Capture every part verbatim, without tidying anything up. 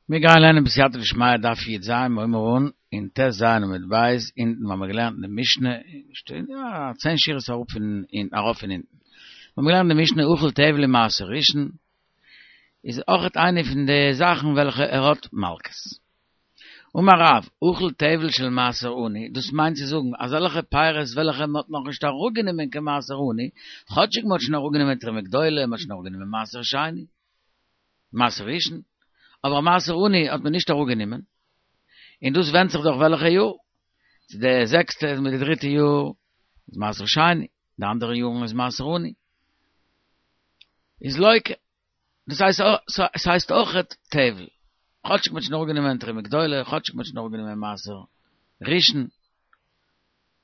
מיר גייען לערנען בסייעתא דשמיא דף י"ז מ'הויבן אן אין ט"ז עמוד ב' אונטן האבן מיר געלערנט אין די משנה, שטייט יא צען שורות אראפ פון אונטן ארויף פון אונטן, מיר האבן געלערנט אין די משנה אכל טבל ומעשר ראשון, איז אויכעט איינע פון די זאכן וועלכע ער האט מלקות. אמר רב, אכל טבל של מעשר עני, דאס מיינט צו זאגן אזעלכע פירות וועלכע מען האט נאכנישט אראפגענומען קיין מעשר עני, כאטשיג מען האט שוין אראפגענומען תרומה גדולה, מען האט שוין אראפגענומען מעשר שני, מעשר ראשון, אבער מעשר עני האט מען נישט אראפגענומען, און דאס ווענדט זיך דאך וועלכע יאר, צו די זעקסטע מיט די דריטע יאר איז מעשר שני, די אנדערע יארן איז מעשר עני. איז לוקה, דאס הייסט ס'הייסט אויכעט טבל, כאטשיג מ'האט שוין אראפגענומען תרומה גדולה, כאטשיג מ'האט שוין אראפגענומען מעשר ראשון,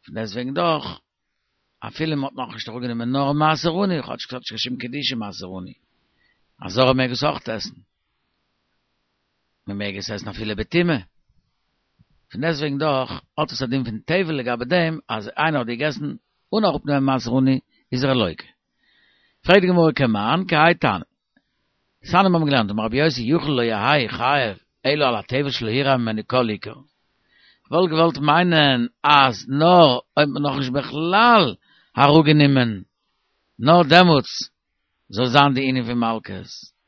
פון דעסטוועגן דאך, אפילו מ'האט נאכנישט אראפגענומען נאר מעשר עני, כאטשיג ס'האט נישט קיין שום קדושה מעשר עני, א זר מעג עס אויך עסן, מ'מעג עס עסן אפילו בטומאה, פון דעסטוועגן דאך האט עס א דין פון טבל לגבי דעם אז איינער האט געגעסן אן אראפנעמען מעשר עני איז ער לוקה. פרעגט די גמרא כמאן כהאי תנא. דתניא מיר האבן געלערנט אמר רבי יוסי יכול לא יהא חייב אלא על הטבל שלא הורע ממנו כל עיקר. כ'וואלט געוואלט מיינען אז נאר אויב מ'האט נאכנישט בכלל אראפגענומען נאר דעמאלטס זאל זיין די ענין פון מלקות.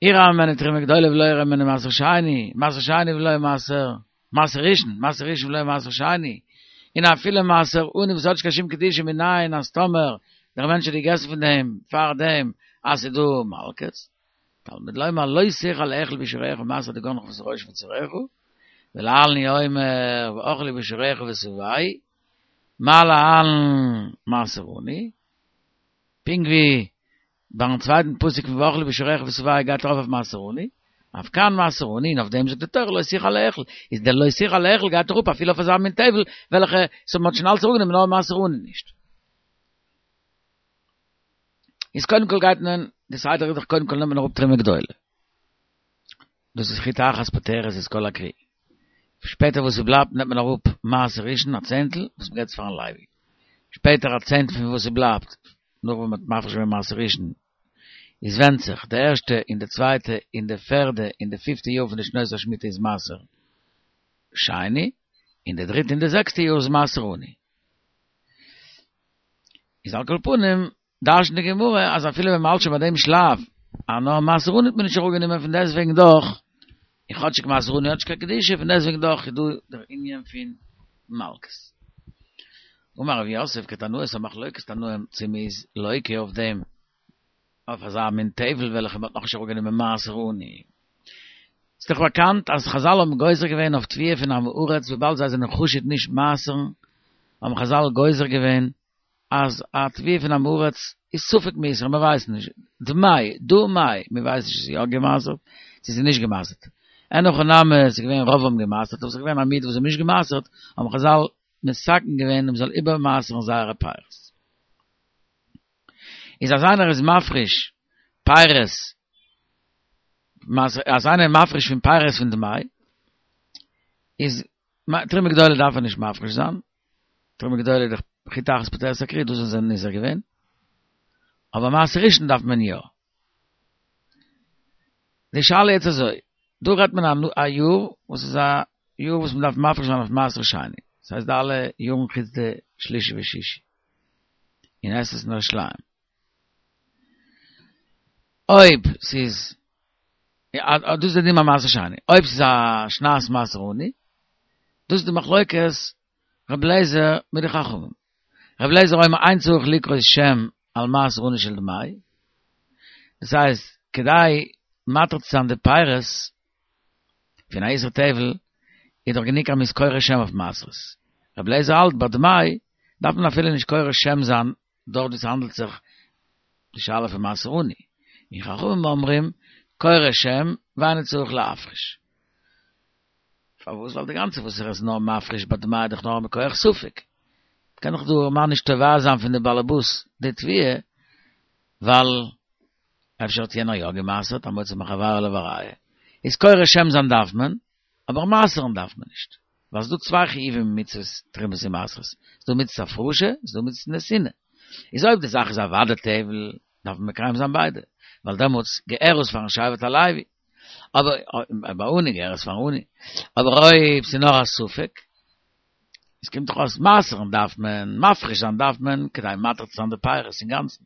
הורע ממנו תרומה גדולה ולא הורע ממנו מעשר שני, מעשר שני ולא מעשר, מעשר ראשון, מעשר ראשון ולא מעשר שני, און אפילו מעשר עני וואס האט נישט קיין שום קדושה מנין אז טאמער דער מענטש האט געגעסן פון דעם פאר דעם אז ס'איז דא מלקות, תלמוד לומר לא תוכל לאכול בשעריך מעשר דגנך ותירושך מבצרך, ולהלן הוא אומר ואכלו בשעריך ושבעו, מה להלן מעשר עני, פונקט ווי ביים צווייטן פסוק פון ואכלו בשעריך ושבעו גייט ארויף אויף מעשר עני, אף כאן מעשר עני, און אויף דעם זאגט די תורה לא תוכל לאכול, איז דער לא תוכל לאכול גייט אראפ אפילו אויף אזא מין טבל וועלכע ס'האט מ'האט שוין אלץ אראפגענומען נאר מעשר עני נישט. איז קודם כל גייט מען, די סדר איז דאך קודם כל נעמט מען אראפ תרומה גדולה. דאס איז חיטה אחת פוטרת את כל הכרי. שפעטער וואס ס'בלייבט נעמט מען אראפ מעשר ראשון א צענטל וואס מ'געבט עס פארן לוי. שפעטער א צענטל פון וואס ס'בלייבט נאך ווען מ'האט מפריש געווען מעשר ראשון, איז ווענדט זיך, די ערשטע און די צווייטע און די פערדע און די פיפטע יאר פון די שנות השמיטה איז מעשר שני, און די דריטע און די זעקסטע יאר איז מעשר עני. איז על כל פנים, דרש'נט די גמרא אז אפילו ווען מ'האלט שוין ביי דעם שלב, אז נאר מעשר עני האט מען נישט אראפגענומען פון דעסטוועגן דאך, און כאטשיג מעשר עני האט נישט קיין קדושה, פון דעסטוועגן דאך איז דא דער ענין פון מלקות. אמר רב יוסף כתנאי ס'איז א מחלוקת תנאים צו מ'איז לוקה אויף דעם אויף אזא מין טבל וועלכע מ'האט נאכנישט אראפגענומען מעשר עני. ס'איז דאך באקאנט אז חזל האבן גוזר געווען אויף תבואה פון עם הארץ וויבאלד זיי זענען חשוד נישט מעשר'ן האבן חזל גוזר געווען אז א תבואה פון עם הארץ איז ספק מעושר מ'ווייסט נישט דמאי דא מאי מ'ווייסט נישט צו ס'איז יא געמעשר'ט צו ס'איז נישט געמעשר'ט. אין הכי נמי ס'איז געווען רוב האבן געמעשר'ט אבער ס'איז געווען א מיעוט וואס האבן נישט געמעשר'ט האבן חזל מתקן געווען אז מ'זאל איבערמעשר'ן זייערע פירות. איז אז איינער איז מפריש פירות, אז איינער איז מפריש פון פירות פון דמאי, איז תרומה גדולה דארף ער נישט מפריש זיין, תרומה גדולה איז דאך חיטה אחת פוטרת הכרי, דאס זענען זיי נזהר געווען, אבער מעשר ראשון דארף מען יא. די שאלה יעצט אזוי, דא רעדט מען א יאר וואס איז א יאר וואס מען דארף מפריש זיין אויף מעשר שני, דאס הייסט די אלע יארן חוץ די שלישי ושישי, און עס איז אין ירושלים. אויב ס'איז, דאס איז די דין ביי מעשר שני, אויב ס'איז א שנת מעשר עני, דאס איז די מחלוקת רבי אליעזר מיט די חכמים. רבי אליעזר אומר אין צריך לקרות שם על מעשר עני של דמאי, דאס הייסט כדי מתיר צו זיין די פירות פון א איסור טבל איז דאך גענוג אז מ'איז קורא שם אויף מעשרות. רבי אליעזר האלט ביי דמאי דארף מען אפילו נישט קורא שם זיין דארט ווי ס'האנדלט זיך די שאלה פון מעשר עני, און חכמים אומרים קורא שם ואינו צריך להפריש. פארוואס? ווייל די גאנצע וואס ער איז נאר מפריש ביי דמאי איז דאך נאר מכח ספק. קען דאך דער ארעמאן נישט תובע זיין פון די באלעבאס די תבואה, ווייל אפשר האט יענער יא גע'מעשר'ט, המוציא מחבירו עליו הראיה. איז קורא שם זיין דארף מען, אבער מעשר'ן דארף מען נישט. ווייל ס'דא צוויי חיובים אין מצוות תרומות און מעשרות. ס'דא מצוות הפרשה, ס'דא מצוות נתינה. איז אויב די זאך איז אוודאי טבל, דארף מען מקיים זיין ביידע, ווייל דעמאלטס געהער עס פארן שבט הלוי. אבער ביי עני געהערט עס פאר עני. אבער אויב ס'איז נאר א ספק, עס קומט דאך אויס מעשר'ן דארף מען, מפריש זיין דארף מען, כדי מתיר צו זיין די פירות אינגאנצן.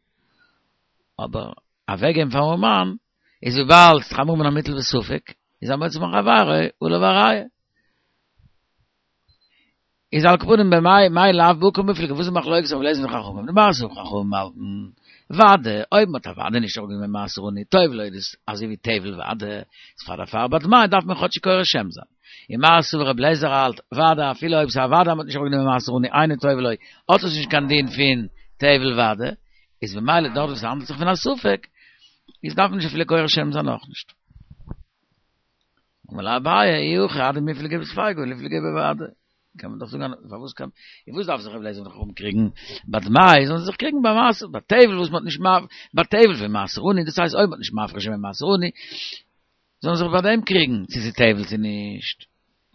אבער אוועקגעבן פארן ארעמאן, איז וויבאלד ס'איז חמור מן המוטל בספק, איז המוציא מחבירו עליו הראיה. איז על כל פנים במאי מאי לאו בהא קמיפלגי וואס איז מחלוקת רבי אליעזר מיט חכמים דמר סבר חכמים האלטן ודאי אויב מ'האט אוודאי נישט אראפגענומען מעשר עני טובל איז דאס אזוי ווי טבל ודאי איז פאר דערפאר ביי דמאי דארף מען כאטשיג קורא שם זיין און מר סבר רבי אליעזר האלט ודאי אפילו אויב ס'איז אוודאי מ'האט נישט אראפגענומען מעשר עני אינו טובל לו האט עס נישט קיין דין פון טבל ודאי איז במילא דארט וואס ס'האנדלט זיך פון א ספק איז דארף מען נישט אפילו קורא שם זיין אויך נישט. אמר ליה אביי אי הכי אדמיפלגי בספיקא ליפלגי בודאי. קען מען דאך זאגן פארוואס קען איך וואס דארף זיך רבי אליעזר מיט חכמים קריגן ביי דמאי זאלן זיי זיך קריגן ביי מעשר ביי טבל וואס מ'האט נישט ביי טבל פון מעשר עני דאס הייסט אויב מ'האט נישט מפריש געווען מעשר עני זאלן זיך ביי דעם קריגן צו ס'איז טבל צו נישט.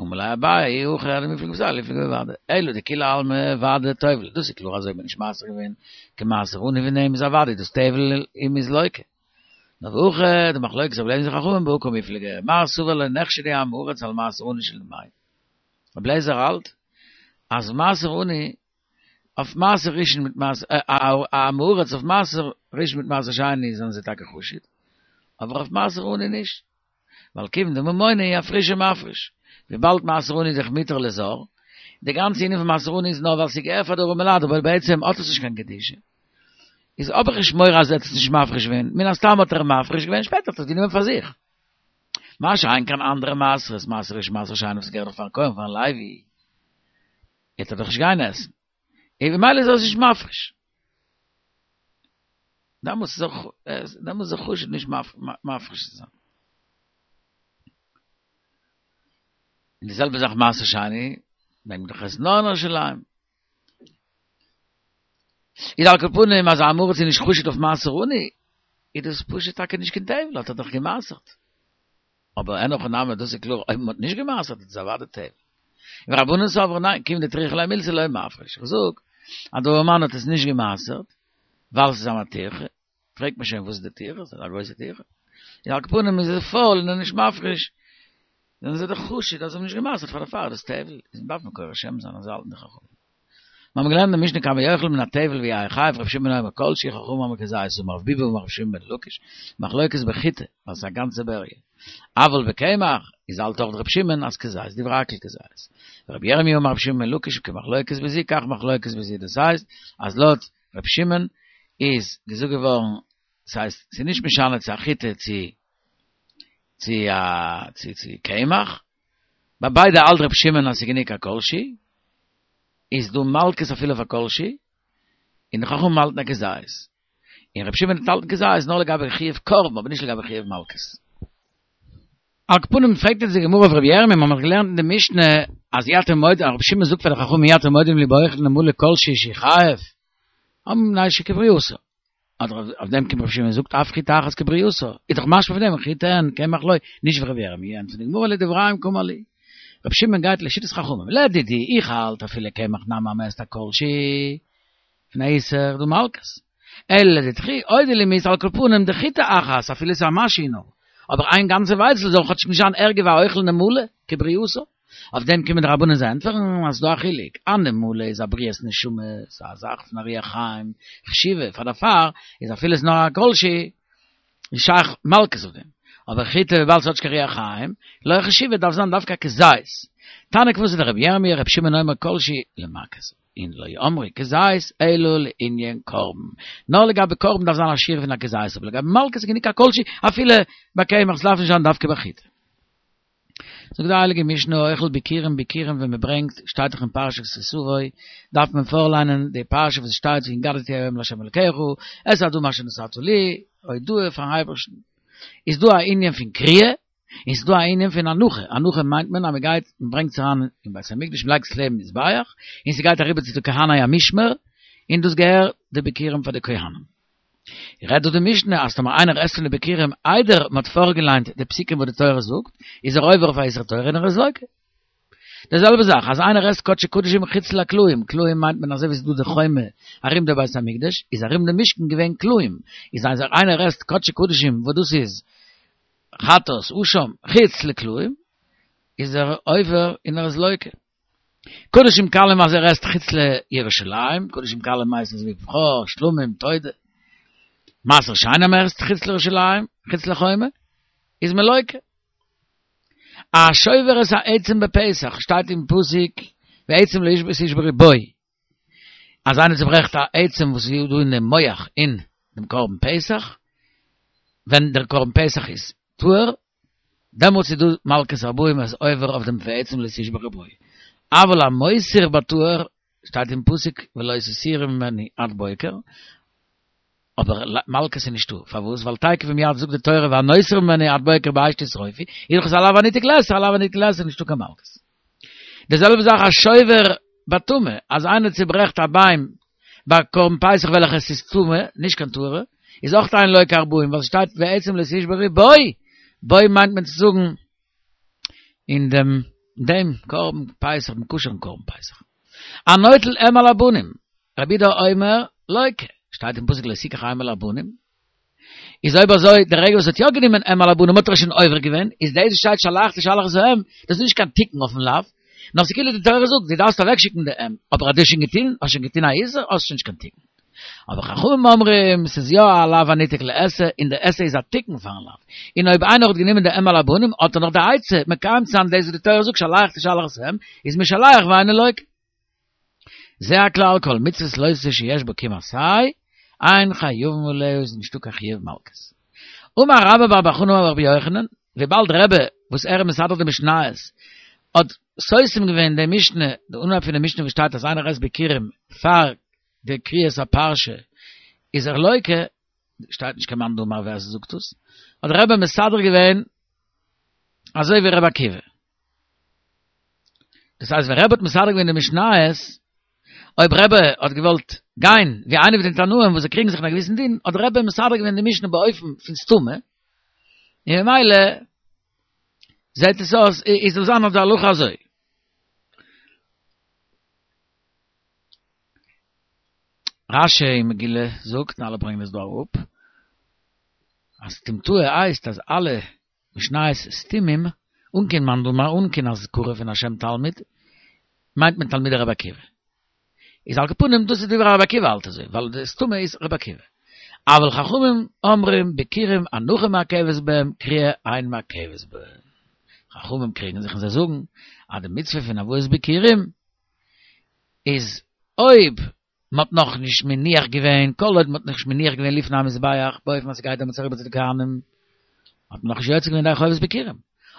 אמר ליה אביי אי הכי אדמיפלגי בספיקא ליפלגי בודאי אלא דכולי עלמא ודאי טובל דאס איז קלאר אז אויב מ'האט נישט מעשר געווען קיין מעשר עני פון דעם איז אוודאי דאס טבל און מ'איז לוקה. נאר והכא דמחלוקת רבי אליעזר וחכמים בהא קמיפלגי מר סבר לא נחשדו עמי הארץ על מעשר עני של דמאי. רבי אליעזר האלט אז מעשר עני אויף מעשר ראשון מיט מעשר א עם הארץ אויף מעשר ראשון מיט מעשר שני זענען זיי טאקע חשוד אבער אויף מעשר עני נישט ווייל כיוון דממונא הוא אפרושי מפריש וויבאלד מעשר עני איז דאך מותר לזר די גאנצע ענין פון מעשר עני איז נאר ווייל ס'געהערט פאר די ארעמעלייט אבער בעצם האט עס נישט קיין קדושה איז האב איך נישט מורא אז ער האט עס נישט מפריש געווען, מן הסתם האט ער מפריש געווען, שפעטער האט ער עס גענומען פאר זיך. מה שאין כן אנדערע מעשרות, מעשר ראשון מעשר שני וואס געהערט דאך פארן כהן פארן לוי, וועט ער דאך נישט גיין עסן, און במילא איז ער עס נישט מפריש. דעמאלטס איז ער דעמאלטס איז ער חשוד נישט מפריש צו זיין. און די זעלבע זאך מעשר שני, מעג מען דאך עסן נאר אין ירושלים. איז על כל פנים אז א עם הארץ איז נישט חשוד אויף מעשר עני, איז דאס פשוט טאקע נישט קיין טבל, האט ער דאך גע'מעשר'ט. אבער אין הכי נמי דאס איז קלאר אויב מען האט נישט גע'מעשר'ט איז עס אוודאי טבל. און רבנן סברי ניין, כיון דטריחא ליה מילתא לא מפריש. איך זאג אז דער ארעמאן האט עס נישט גע'מעשר'ט ווייל ס'איז אים א טירחא, פרעגט מען שוין וואס איז די טירחא, ס'איז א גרויסע טירחא. איז על כל פנים איז ער פויל און ער איז נישט מפריש, זענען זיי דאך חשוד אז זיי האבן נישט גע'מעשר'ט פאר דערפאר איז דאס טבל, איז דארף מען קורא שם זיין אזוי האלטן די חכמים. מיר האבן געלערנט אין משנה כמה יאכל מן הטבל ויהא חייב ר' שמעון אומר כל שהוא חכמים אומרים כזית אמר רב ביבי אמר ר' שמעון בן לקיש מחלוקת בחיטה ווייל ס'איז א גאנצע בריה אבל בקמח איז האלט אויך ר' שמעון אז כזית דברי הכל כזית ורבי ירמיה אמר ר' שמעון בן לקיש כמחלוקת בזו כך מחלוקת בזו דאס הייסט אז לויט ר' שמעון איז געזאגט געווארן ס'הייסט ס'איז נישט משנה צו א חיטה צו צו א צו צו קמח ביי ביידע האלט ר' שמעון אז ס'איז גענוג א כל שהוא איז דא מלקות אפילו אויף א כל שהוא, און די חכמים האלטן א כזית. און רבי שמעון האלט כזית נאר לגבי חיוב קרבן אבער נישט לגבי חיוב מלקות. על כל פנים פרעגט אונז די גמרא אויף רבי ירמי' מ'האט דאך געלערנט אין די משנה אז אי אתם מודים, רבי שמעון זאגט פאר די חכמים אי אתם מודים לי באוכל נמלה כל שהוא שהוא חייב, אמרו מפני שכברייתו. אדער אויף דעם קומט רבי שמעון און זאגט אף חיטה אחת כברייתה, איז דאך משמע פון דעם חיטה אין קמח לא, נישט ווי רבי ירמי', ענטפערט די גמרא לדבריהם קאמר להו. רבי שמעון גייט לשיטת חכמים, לדידי, איך האלט אפילו קמח נמי אז מ'עסט א כל שהוא פון א איסור דא מלקות, אלא לדידכו אודי לי מיהת על כל פנים דחיטה אחת אפילו ס'איז א משהו נאר, אבער איין גאנצע ווייצל זאל כאטשיג נישט זיין ערגער ווי א אוכל נמלה כברייתה. אויף דעם קומען די רבנן זיי ענטפערן אז ס'דא א חילוק, א נמלה איז א בריאת נשמה, ס'איז א זאך פון א רוח חיים חשיבה, פאר דערפאר איז אפילו ס'איז נאר א כל שהוא איז שייך מלקות אויף דעם, אבער חיטה וויבאלד ס'האט נישט קיין רוח חיים, לא חשיבה דארף זיין דווקא כזית. תניא כוותיה דרבי ירמי' רבי שמעון אומר כל שהוא למכות, און לא אמרו כזית אלא לענין קרבן, נאר לגבי קרבן דארף זיין א שיעור פון א כזית, אבער לגבי מלקות איז גענוג א כל שהוא אפילו ביי קמח, ס'דארף נישט זיין דווקא ביי חיטה. זאגט די הייליגע משנה האוכל ביכורים ביכורים ווען מען ברענגט, שטייט דאך אין פרשת כי תבוא, דארף מען פארליינען די פרשה וואס שטייט והגדת היום לה' אלקיך, את האדמה אשר נתת לי, הודאה פארן אייבערשטן. איז דא א ענין פון קריאה, און ס'איז דא א ענין פון הנחה, הנחה מיינט מען אז מען גייט מען ברענגט עס אריין אין בית המקדש מען לייגט עס לעבן מזבח, און ס'גייט אריבער צו די כהני המשמר, און דאס געהערט די ביכורים פאר די כהנים. רעדט דא די משנה אז טאמער איינער עסט פון די ביכורים איידער מען האט פארגעליינט די פסוקים וואס די תורה זאגט, איז ער עובר אויף א איסור תורה און ער איז לוקה. די זעלבע זאך אז איינער עסט קדשי קדשים חוץ לקלעים, קלעים מיינט מען אזוי ווי ס'איז דא די חומה ארום די בית המקדש, איז ארום די משכן געווען קלעים, איז אז איינער עסט קדשי קדשים וואס דאס איז חטאת, אשם, חוץ לכלאים, איז ער עובר און ער איז לוקה. קדשים קלים אז ער עסט חוץ לירושלים, קדשים קלים הייסט אזוי ווי בכור, שלמים, תודה. מעשר שני אז מען עסט חוץ לירושלים, חוץ לחומה, איז מען לוקה. השובר את העצם בפסח, שטייט אין פסוק, ועצם לא תשברו בו. אז איינער צוברעכט א עצם וואס איז דא אין דעם מח אין דעם קרבן פסח, ווען דער קרבן פסח איז טהור, דעמאלטס איז דא מלקות ארבעים איז עובר אויף דעם ועצם לא תשברו בו. אבל המותיר בטהור, שטייט אין פסוק ולא תותירו ממנו עד בוקר, אבער מלקות איז נישטא, פארוואס? ווייל תיכף ומיד זאגט די תורה והנותר ממנו עד בוקר באש תשרופו, איז דאך עס א לאו הניתק לעשה, א לאו הניתק לעשה איז נישטא קיין מלקות. די זעלבע זאך השובר בטמא, אז איינער צוברעכט א ביין ביי קרבן פסח וועלכע עס איז טמא, נישט קיין טהור'ע, איז אויך אין לוקה ארבעים, ווייל ס'שטייט ועצם לא תשברו בו, בו מיינט מען צו זאגן אין דעם דעם קרבן פסח, דעם כשר'ן קרבן פסח. הנוטל אם על הבנים, רבי יהודה אומר, לוקה, שטייט אין פסוק לא תקח אם על הבנים, איז אויב אזוי, די רגע וואס ער האט יא גענומען אם על הבנים האט ער שוין עובר געווען, איז דאס וואס שטייט שלח תשלח את האם, דאס איז נישט קיין תיקון אויפן לאו, נאר ס'איז כאילו די תורה זאגט, דו דארפסט אוועקשיקן די אם, אבער אז דו האסט שוין געטון, האסט שוין געטון א איסור, האסט שוין נישט קיין תיקון. אבער חכמים אומרים, ס'איז יא א לאו הניתק לעשה, און די עשה איז א תיקון פארן לאו. און אויב איינער האט גענומען די אם על הבנים, האט ער נאך די עצה מקיים צו זיין דאס וואס די תורה זאגט שלח תשלח את האם, איז משלח ואינו לוקה. זה הכלל כל מצוות לא תעשה שיש בה קום עשה, אין חייבין עליה איז נישטא קיין חיוב מלקות. אמר רבה בר בר חנה אמר רבי יוחנן, וויבאלד רבי וואס ער איז מסדר די משניות האט סותם געווען די משנה, די אנהייב פון די משנה וואס שטייט אז איינער עסט ביכורים פאר די קריאת הפרשה איז ער לוקה, שטייט נישט קיין מאן דאמר ווער ס'זאגט עס, האט רבי מסדר געווען אזוי ווי רבי עקיבא. דאס הייסט ווען רבי האט מסדר געווען די משניות, אויב רבי האט געוואלט גיין ווי איינער פון די תנאים וואס זיי קריגן זיך אין א געוויסן דין, האט רבי מסדר געווען די משנה באופן פון סתמא, און ממילא זעט עס אויס איז זאל זיין אויף די הלכה אזוי. רשי אין מגילה זאגט, און אלע ברענגען עס דא אראפ, אז סתמתאה הייסט אז אלע משניות סתומים, אן קיין מאן דאמר, אן קיין אזכרה פון א שם תלמיד, מיינט מען תלמידי רבי עקיבא. איז על כל פנים דאס איז דברי רבי עקיבא האלט אזוי, ווייל די סתמא איז רבי עקיבא. אבל חכמים אומרים ביכורים הנחה מעכבת בהם קריאה אין מעכבת בהם. חכמים קריגן זיך און זיי זאגן אז די מצוה פון הבאת ביכורים איז אויב מען האט נאכנישט מניח געווען, כל עוד מען האט נאכנישט מניח געווען לפני המזבח, באופן אז ס'גייט דעמאלטס אריבער צו די כהנים, האט מען נאכנישט יוצא געווען ידי חובת ביכורים.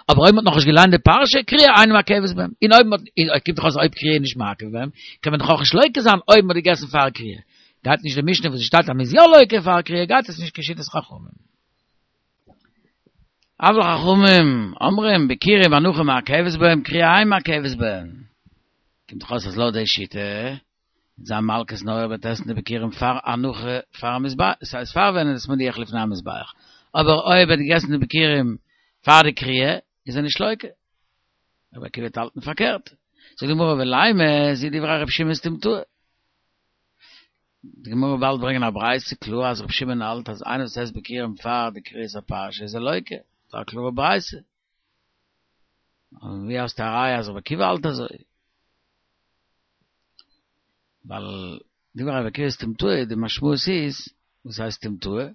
אבער אויב מען האט נאכנישט געליינט די פרשה, קריאה אינה מעכבת בהם. און אויב מען האט, קומט דאך אויס אויב קריאה איז נישט מעכב בהם, קען מען דאך אויך נישט לוקה זיין אויב מען האט געגעסן פאר קריאה. גייט נישט די משנה וואס עס שטייט אז מען איז יא לוקה פאר קריאה, גייט עס נישט כשיטת חכמים. אבל חכמים אומרים ביכורים הנחה מעכבת בהם, קריאה אין מעכבת בהם. קומט דאך אויס אז לויט די שיטה, וועט זיין מלקות נאר אויב ער וועט עסן די ביכורים פאר הנחה פאר המזבח, ס'הייסט פאר ווען ער איז מניח לפני המזבח, אבער אויב ער האט געגעסן די ביכורים פאר די קריאה איז ער נישט לוקה. רבי עקיבא וועט האלטן פארקערט. זאגט די גמרא ולימא זו דברי רבי שמעון סתמתאה. די גמרא וועט באלד ברענגען א ברייתא קלאר אז רבי שמעון האלט אז איינער וואס עסט ביכורים פאר די קריאת הפרשה איז ער לוקה, ס'איז א קלארע ברייתא. און ווי האסטו א ראיה אז רבי עקיבא האלט אזוי? ווייל דברי רבי עקיבא סתמתאה, די משמעות איז, וואס הייסט סתמתאה?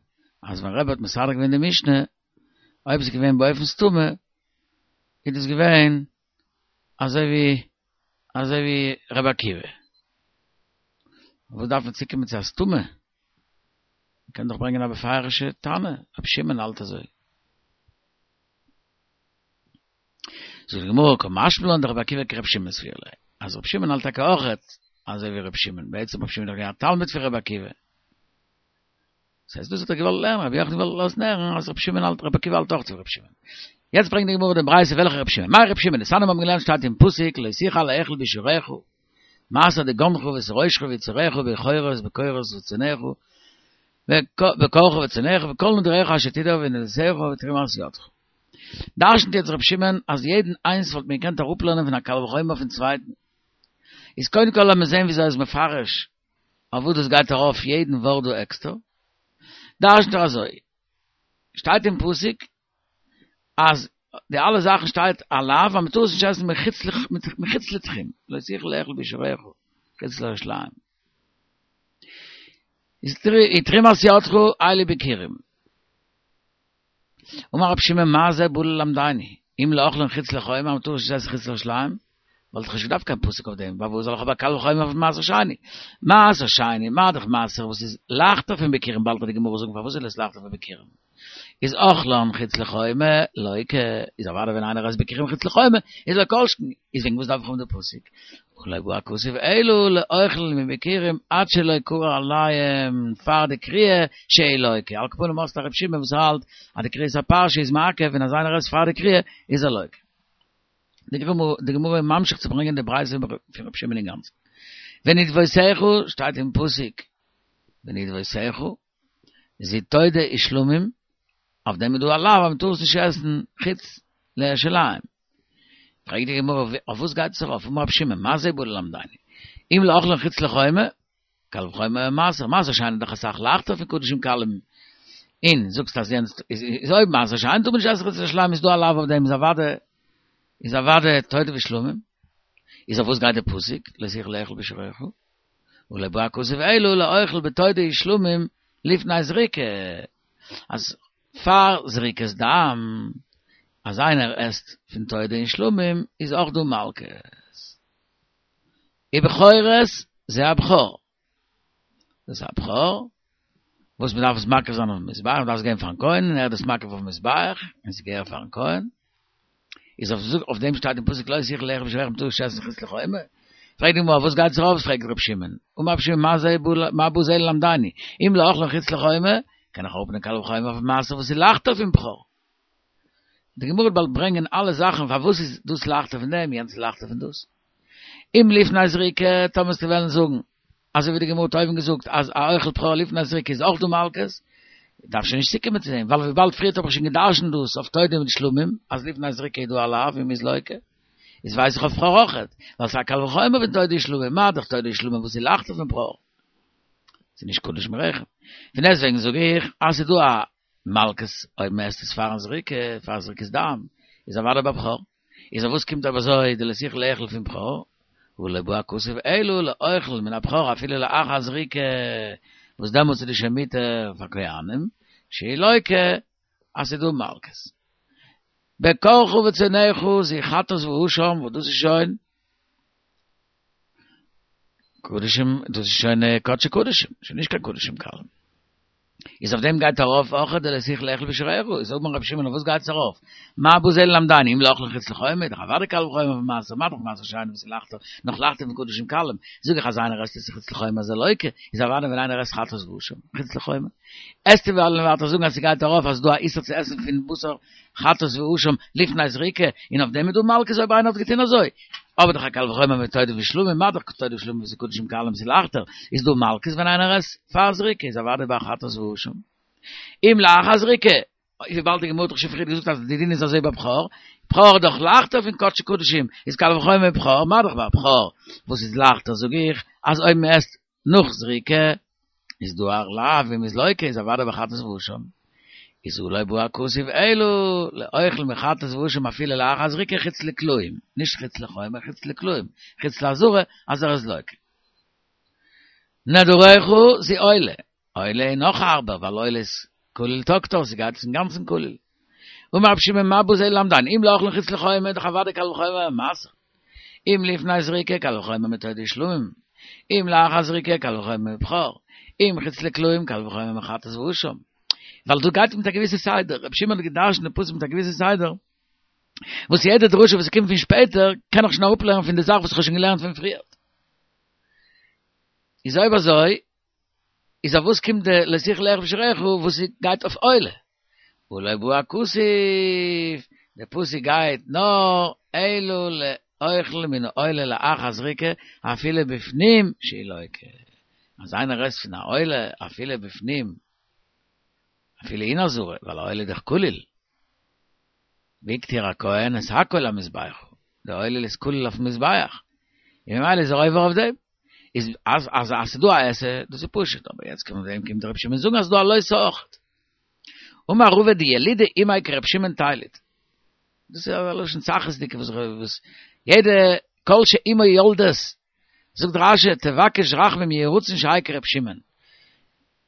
אז ווען רבי האט מסדר געווען די משנה, אויב איז געווען באופן סתמא, איז דאס געווען אזוי ווי אזוי ווי רבי עקיבא. וואס דארף מען צוקומען צו א סתמא? מ'קען דאך ברענגען א בפירוש'ע תנא, רבי שמעון האלט אזוי. זאגט די גמרא קא משמע לן דרבי עקיבא כרבי שמעון סבירא ליה, אז רבי שמעון האלט טאקע אויכעט אזוי ווי רבי שמעון, בעצם רבי שמעון איז דאך געווען א תלמיד פון רבי עקיבא, דאס הייסט דאס האט ער געוואלט לערנען, רבי יוחנן האט געוואלט לאזן הערן אז רבי שמעון האלט, רבי עקיבא האלט אויך אזוי ווי רבי שמעון. יעצט ברענגט די גמרא די ברייתא וועלכע רבי שמעון, מאי רבי שמעון, דתניא מיר האבן געלערנט שטייט אין פסוק לא תוכל לאכול בישורך, מעשר דגנך ותירושך ויצהרך בכורות בכורות וצאנך, בקרך וצאנך וכל נדריך אשר תדור ונדבתך ותרומת ידך. דרש'נט יעצט רבי שמעון אז יעדן איינס וואלט מען געקענט אראפלערנען פון א קל וחומר פון צווייטן. איז קודם כל לאמיר זען וויאזוי ער איז מפרש אויף וואס דאס גייט ארויף יעדן ווארט דא עקסטער. דרש'נט ער אזוי, שטייט אין פסוק אז די אלע זאכן שטייט א לאו, אז מ'טאר עס נישט עסן מחוץ לתחום, לא תוכל לאכול בשעריך, חוץ לירושלים. איז תרומת ידך אלו ביכורים. אמר רב שמעון מה זה בא ללמדני, אם לאוכלן חוץ לחומה, אז מ'טאר נישט עסן חוץ לירושלים, וואלט איך נישט געדארפט קיין פסוק אויף דעם, ווייל וואס זאל איך האבן א קל וחומר אויף מעשר שני? מעשר שני, מה דאך מעשר וואס איז לייכטער פון ביכורים, באלד וועט די גמרא זאגן פארוואס איז עס לייכטער פון ביכורים. איז אוכלן חוץ לחומה, לוקה, איז אוודאי ווען איינער עסט ביכורים חוץ לחומה, איז לא כל שכן, איז וועגן וואס דארף איך האבן די פסוק? ולא בא הכתוב אלא לאוכל מביכורים עד שלא קרא עליהם פאר די קריאה שהוא לוקה, על כל פנים האסט א רב שמעון וואס האלט אז די קריאת הפרשה איז מעכב און אז איינער עסט פאר די קריאה איז ער לוקה. די גמרא איז ממשיך צו ברענגען די ברייתא פון רב שמעון אינגאנצן. ונדבותיך שטייט אין פסוק ונדבותיך זו תודה ושלמים, אויף דעם איז דא א לאו אז מען טאר עס נישט עסן חוץ לירושלים. פרעגט די גמרא אויף וואס גייט עס ארויף, אמר רב שמעון מה זה בא ללמדני, אם לאוכלן חוץ לחומה, קל וחומר מעשר, מעשר שני איז דאך אסאך לייכטער פון קדשים קלים, און זאגסט אז יענץ איז אויב מעשר שני טאר מען נישט עסן חוץ לירושלים איז דא א לאו אויף דעם איז אוודאי איז אוודאי תודה ושלמים, איז אויף וואס גייט די פסוק לא תוכל לאכול בשעריך, ולא בא הכתוב אלא לאוכל בתודה ושלמים לפני זריקה, אז פאר זריקת דם, אז איינער עסט פון תודה און שלמים איז אויך דא מלקות. ובכורות זה הבכור. דאס איז א בכור, וואס מען דארף עס מקריב זיין אויפן מזבח, מען דארף עס געבן פארן כהן, און ער איז דאס מקריב אויפן מזבח, און ס'געהער פארן כהן. איז אויף דעם שטייט אין פסוק לא תוכל לאכול בשעריך מ'טאר נישט עסן חוץ לחומה. פרעגט די גמרא וואס גייט עס ארויף, פרעגט ר' שמעון, אמר ר' שמעון מה זה מה בא זה ללמדני, אם לאוכלן חוץ לחומה, קען איך אראפנעמען קל וחומר אויף מעשר וואס איז לייכטער פון בכור. די גמרא וועט באלד ברענגען אלע זאכן פארוואס איז דאס לייכטער פון דעם, יענץ איז לייכטער פון דאס. אם לפני זריקה, טאמער וועסטו וועלן זאגן, אזוי ווי די גמרא האט אויבן געזאגט אז א אוכל בכור לפני זריקה איז אויך דא מלקות, דארף שוין נישט צוקומען צו דעם, ווייל וויבאלד פריערט האב איך שוין גע'דרש'נט דאס אויף תודה מיט שלמים, אז לפני זריקה איז דא א לאו און מ'איז לוקה, איז ווייס איך אויף בכור אויכעט, ווייל ס'איז א קל וחומר פון תודה ושלמים, מה דאך תודה ושלמים וואס איז לייכטער פון בכור. ס'איז נישט קדוש מרחם. פון דעסטוועגן זאג איך אז ס'איז דא א מלקות אויב מ'עסט עס פארן זריקה, פאר זריקת דם, איז אוודאי ביי בכור. איז אויף וואס קומט אבער אזוי די לא תוכל לאכול פון בכור? ולא בא הכתוב אלא לאוכל מן הבכור אפילו לאחר זריקה, וואס דעמאלטס איז די שוין מותר פאר כהנים, שהוא לוקה אז ס'איז דא מלקות. בקרך וצאנך זו חטאת ואשם, וואס דאס איז שוין קדשים, דאס איז שוין קדשי קדשים, שוין נישט קיין קדשים קלים. איז אויף דעם גייט ארויף אויך די לא תוכל לאכול בשעריך, איז אמר רבי שמעון אויף וואס גייט עס ארויף? מה בא זה ללמדני אם לאוכלן חוץ לחומה, דאך אוודאי קל וחומר פון מעשר, מה דאך מעשר שני וואס איז לייכטער, נאך לייכטער פון קדשים קלים, זאג איך אז איינער עסט עס חוץ לחומה איז ער לוקה, איז אוודאי ווען איינער עסט חטאת ואשם חוץ לחומה. וועסטו וועלן ווייטער זאגן אז ס'גייט ארויף אז ס'דא א איסור צו עסן פון בשר חטאת ואשם לפני זריקה, און אויף דעם איז דא מלקות אויב איינער האט געטון אזוי. אבער דאך א קל וחומר מיט תודה ושלמים, מה דאך תודה ושלמים וואס איז קדשים קלים ס'איז לייכטער, איז דא מלקות ווען איינער עסט פאר זריקה איז אוודאי ביי חטאת ואשם. אם לאחר זריקה, וויבאלד די גמרא האט דאך שוין פריער געזאגט אז די דין איז אזוי ביי בכור, בכור איז דאך לייכטער פון קדשי קדשים, איז קל וחומר בכור, מה דאך ביי בכור וואס איז לייכטער זאג איך אז אויב מען עסט נאך זריקה איז דא א לאו און מ'איז לוקה איז אוודאי ביי חטאת ואשם איז הא לא בא הכתוב אלא לאוכל מחטאת ואשם אפילו לאחר זריקה חוץ לקלעים, נישט חוץ לחומה חוץ לקלעים, חוץ לעזרה אז ער איז לוקה. נדריך זו עולה, עולה איז נאך הארבער ווייל עולה איז כליל תקטר ס'גייט אינגאנצן כליל. אמר רבי שמעון מה בא זה ללמדני אם לאוכלן חוץ לחומה דאך אוודאי קל וחומר מעשר. אם לפני זריקה קל וחומר מתודה ושלמים, אם לאחר זריקה קל וחומר מבכור, אם חוץ לקלעים קל וחומר מחטאת ואשם. ווייל דא גייט מיט א געוויסע סדר, רבי שמעון האט געדרשנט די פסוק מיט א געוויסע סדר, וואס יעדע דרשה וואס קומט פון שפעטער קען איך שוין אראפלערנען פון די זאך וואס איך האב שוין געלערנט פון פריער. איז אויב אזוי, איז אויף וואס קומט די לא תוכל לאכול בשעריך וואס גייט אויף עולה? ולא בא הכתוב, די פסוק גייט נאר אלא לאוכל מן העולה לאחר זריקה אפילו בפנים שהוא לוקה, אז איינער עסט פון א עולה אפילו בפנים, אפילו אין עזרה, ווייל א עולה איז דאך כליל, והקטיר הכהן את הכל המזבחה, די עולה איז כליל אויפן מזבח, און ממילא איז ער עובר אויף דעם. איז אז אז אז ס'דא א עשה, דאס איז פשוט, אבער יעצט קומט דעם קומט רב שמעון זאגן אז ס'דא א לא תעשה אויכעט. אמר רבא דילדא אימיה כרב שמעון תיליד. דאס איז א לשון צחות וואס וואס יעדע כל שאמו יולדת זאגט רש"י תבקש רחמים יהי רצון שיהא כרב שמעון.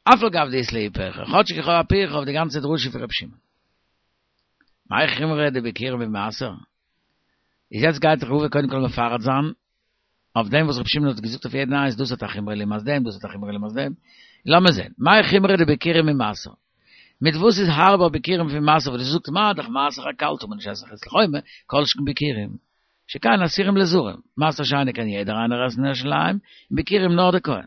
אף על גב דאית ליה פירכא, כאטש איך האב א פירכא אויף די גאנצע דרשה פון רב שמעון. מאי חומרא דביכורים ממעשר? איז יעצט גייט רבא קודם כל מפרט זיין אויף דעם וואס רב שמעון האט געזאגט אויף יעדן איינס, דאס האט א חומרא לעומת דעם, דאס האט א חומרא לעומת דעם. לאמיר זען. מאי חומרא דביכורים ממעשר? מיט וואס איז הארבער ביכורים פון מעשר? וואס דו זאגסט מה דאך מעשר הקל טאר מען נישט עסן חוץ לחומה, כל שכן ביכורים. שכן אסורים לזרים. מעשר שני קען יעדער איינער עסן אין ירושלים, און ביכורים נאר דער כהן.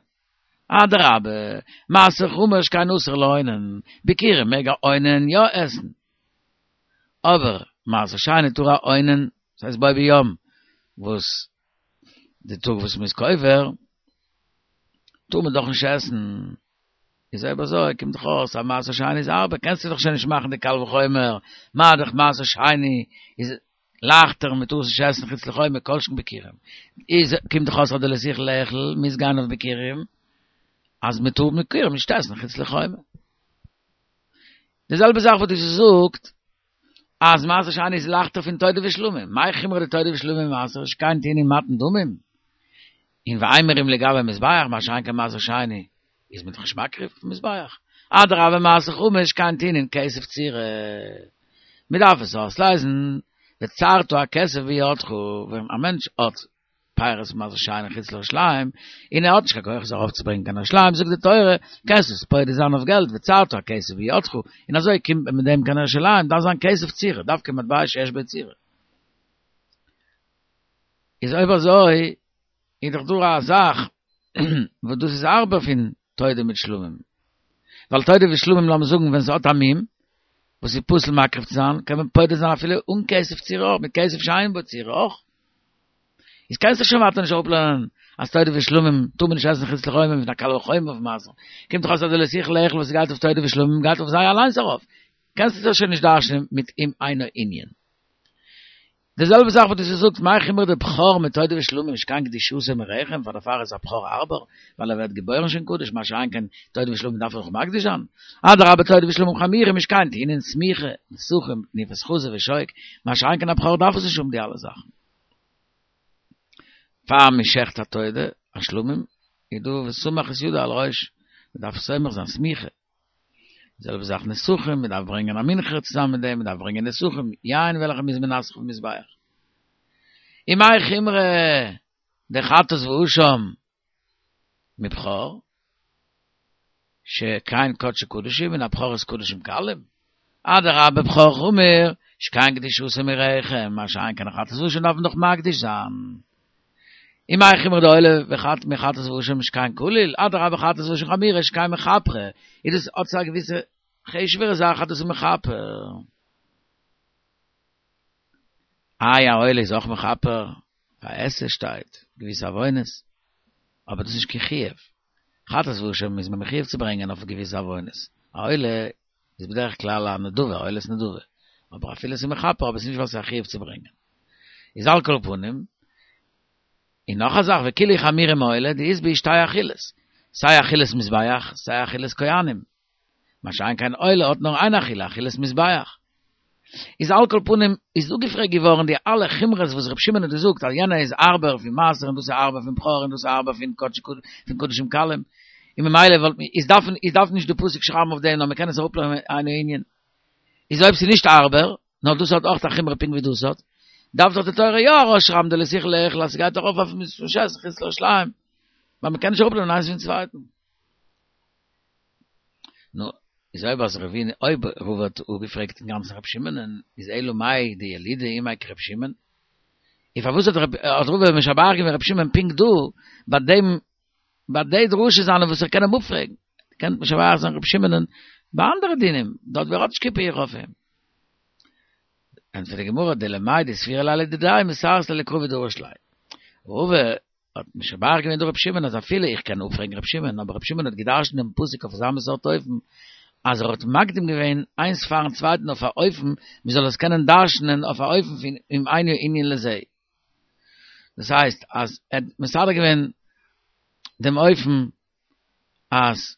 אדרבה, מעשר חמור שכן אסור לאונן, ביכורים מעג א אונן יא עסן. אבער מעשר שני טאר א אונן, דאס הייסט בו ביום, וואס די טאג וואס מ'איז קובר, טאר מען דאך נישט עסן. איז אויב אזוי קומט דאך אויס אז מעשר שני איז הארבער, קענסטו דאך שוין נישט מאכן די קל וחומר, מה דאך מעשר שני איז לייכטער מען טאר עס נישט עסן חוץ לחומה כל שכן ביכורים. איז קומט דאך אויס אז די לא תוכל לאכול מוז גיין אויף ביכורים, אז מען טאר ביכורים נישט עסן חוץ לחומה. די זעלבע זאך וואס דו זאגסט אז מעשר שני איז לייכטער פון תודה ושלמים, מאי חומרא דתודה ושלמים ממעשר שכן טעונין מתן דמים, און ואימורים לגבי מזבח, מה שאין כן מעשר שני איז מען דאך נישט מקריב אויפן מזבח. אדרבה מעשר חמור שכן טעונין כסף צורה. מען דארף עס אויסלייזן, וצרת הכסף בידך, ווען א מענטש האט פירות מעשר שני חוץ לירושלים, און ער האט נישט קיין כח עס ארויפצוברענגען קיין ירושלים, זאגט די תורה, קענסט עס פודה זיין אויף געלט, וצרת הכסף בידך, און אזוי קומט מען מיט דעם קיין ירושלים, דארף זיין כסף צורה, דווקא מטבע שיש בו צורה. איז אויב אזוי, איז דאך דא א זאך וואס דאס איז הארבער פון תודה מיט שלמים. ווייל תודה ושלמים לאמיר זאגן ווען ס'האט א מום, וואס איז פסול מקריב צו זיין, קען מען פודה זיין אפילו אן כסף צורה אויך, מיט כסף שאין בו צורה אויך. איז קענסטו שוין ווייטער נישט אראפלערנען אז תודה ושלמים טאר מען נישט עסן חוץ לחומה מיט א קל וחומר אויף מעשר. קומט דאך אויס אז די לא תוכל לאכול וואס גייט אויף תודה ושלמים גייט אויף זיי אליינס ארויף. קענסטו דאס שוין נישט דרש'נען מיט אם אינו ענין. די זעלבע זאך וואס דו זאגסט מאי חומרא דבכור מתודה ושלמים שכן קדושתו מרחם פאר דערפאר איז א בכור הארבער ווייל ער ווערט געבוירן שוין קדוש מה שאין כן תודה ושלמים דארף ער נאך מקדיש זיין אדרבה תודה ושלמים חמורים שכן טעונין סמיכה נסכים תנופת חזה ושוק מה שאין כן א בכור דארף עס נישט האבן די אלע זאכן פאר מען שעכט א תודה א שלמים איז דא וסמך את ידו על ראש מען דארף סומך זיין סמיכה די זעלבע זאך נסכים, מען דארף ברענגען א מנחה צוזאמען מיט דעם, מען דארף ברענגען נסכים, יין וועלכע מ'איז מנסך אויפן מזבח. ומאי חומרא דחטאת ואשם מבכור, שכן קדשי קדשים און א בכור איז קדשים קלים, אדרבה בכור חמור, שכן קדושתו מרחם, מה שאין כן א חטאת ואשם דארף מען דאך מקדיש זיין. ומאי חומרא דעולה וחט מחטאת ואשם שכן קליל, אדרבה חטאת ואשם חמורה שכן מכפרה, איז דאס האט א געוויסע חשוב'ערע זאך אז דאס איז מכפר. איי א עולה איז אויך מכפר, ביי עשה שטייט געוויסע עוונות, אבער דאס איז נישט קיין חיוב. חטאת ואשם איז מען מחויב צו ברענגען אויף געוויסע עוונות, א עולה איז בדרך כלל א נדבה, עולת נדבה, אבער אפילו עס איז מכפר אבער עס איז נישט ווייל עס איז א חיוב צו ברענגען. איז על כל פנים, און נאך א זאך, וכולהו חמירי מעולה דאית בהו שתי אכילות, סיי אכילת מזבח, סיי אכילת כהנים. מה שאין כן עולה האט נאר איין אכילה, אכילת מזבח. איז על כל פנים איז אפגעפרעגט געווארן די אלע חומרות וואס ר' שמעון האט געזאגט אז יענע איז הארבער פון מעשר און דאס איז הארבער פון בכור און דאס איז הארבער פון פון קדשים קלים, און ממילא וואלט איז דארף איז דארף נישט די פסוק שרייבן אויף דעם נאר מ'קען עס אראפלערנען אינו ענין. איז אויב ס'איז נישט הארבער, נאר דאס האט אויך א חומרא פונקט ווי דאס האט, דארף דאך די תורה יא ארויסשרייבן די לא תוכל לאכול אז ס'גייט ארויף אויף נישט עסן חוץ לירושלים, ווייל מ'קען נישט אראפלערנען איינס פון צווייטן. נו, איז אויב אז רבינו, אויב רבא האט אפגעפרעגט אינגאנצן רבי שמעונ'ען, איז אלא מאי דילודה אמה כרבי שמעון? און פארוואס האט רבא משבח געווען רבי שמעון פונקט דא, ביי דעם ביי די דרשה זיינע וואס איך קען אים אפפרעגן, קען משבח זיין רבי שמעונ'ען ביי אנדערע דינים, דארט ווי ער האט נישט קיין פירכא אויף אים. ענטפערט די גמרא, דלמאי דסבירא ליה לדידיה מתרץ ליה לקרא ודרש ליה. רבא האט משבח געווען דא רבי שמעון אז אפילו איך קען אפפרעגן רבי שמעון, אבער רבי שמעון האט געדרשנט דעם פסוק אויף אזא מין סארט אופן, אז ער האט מקדים געווען איינס פארן צווייטן אויף א אופן מען זאל עס קענען דרשנ'ען אויף א אופן פון אם אינו ענין לזה. דאס הייסט אז ער האט מסדר געווען דעם אופן אז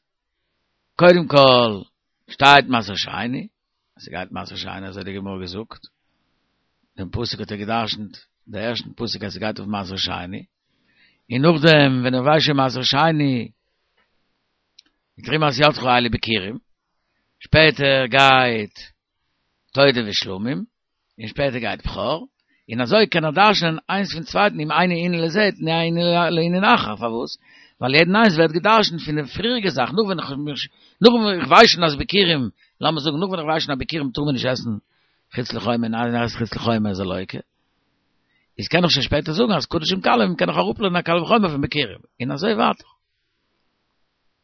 קודם כל שטייט מעשר שני, אז ס'גייט מעשר שני אזוי האט די גמרא געזאגט, דעם פסוק האט ער געדרשנט, דער ערשטן פסוק אז ס'גייט אויף מעשר שני, און נאכדעם ווען ער ווייסט שוין מעשר שני, תרומת ידך אלו ביכורים, שפעטער גייט תודה ושלמים, און שפעטער גייט בכור, און אזוי קען ער דרש'נען איינס פון צווייטן אם אינו ענין לזה תנהו לענין אחר, פארוואס? ווייל יעדן איינס ווערט געדרש'נט פון די פריעריגע זאך, נאך ווען איך נאך ווען איך ווייס שוין אז ביכורים, לאמיר זאגן נאך ווען איך ווייס שוין אז ביכורים טאר מען נישט עסן חוץ לחומר און איינער עסט חוץ לחומר איז ער לוקה, איז קען איך שוין שפעטער זאגן אז קדשים קלים קען איך אראפלערנען א קל וחומר פון ביכורים, און אזוי ווייטער.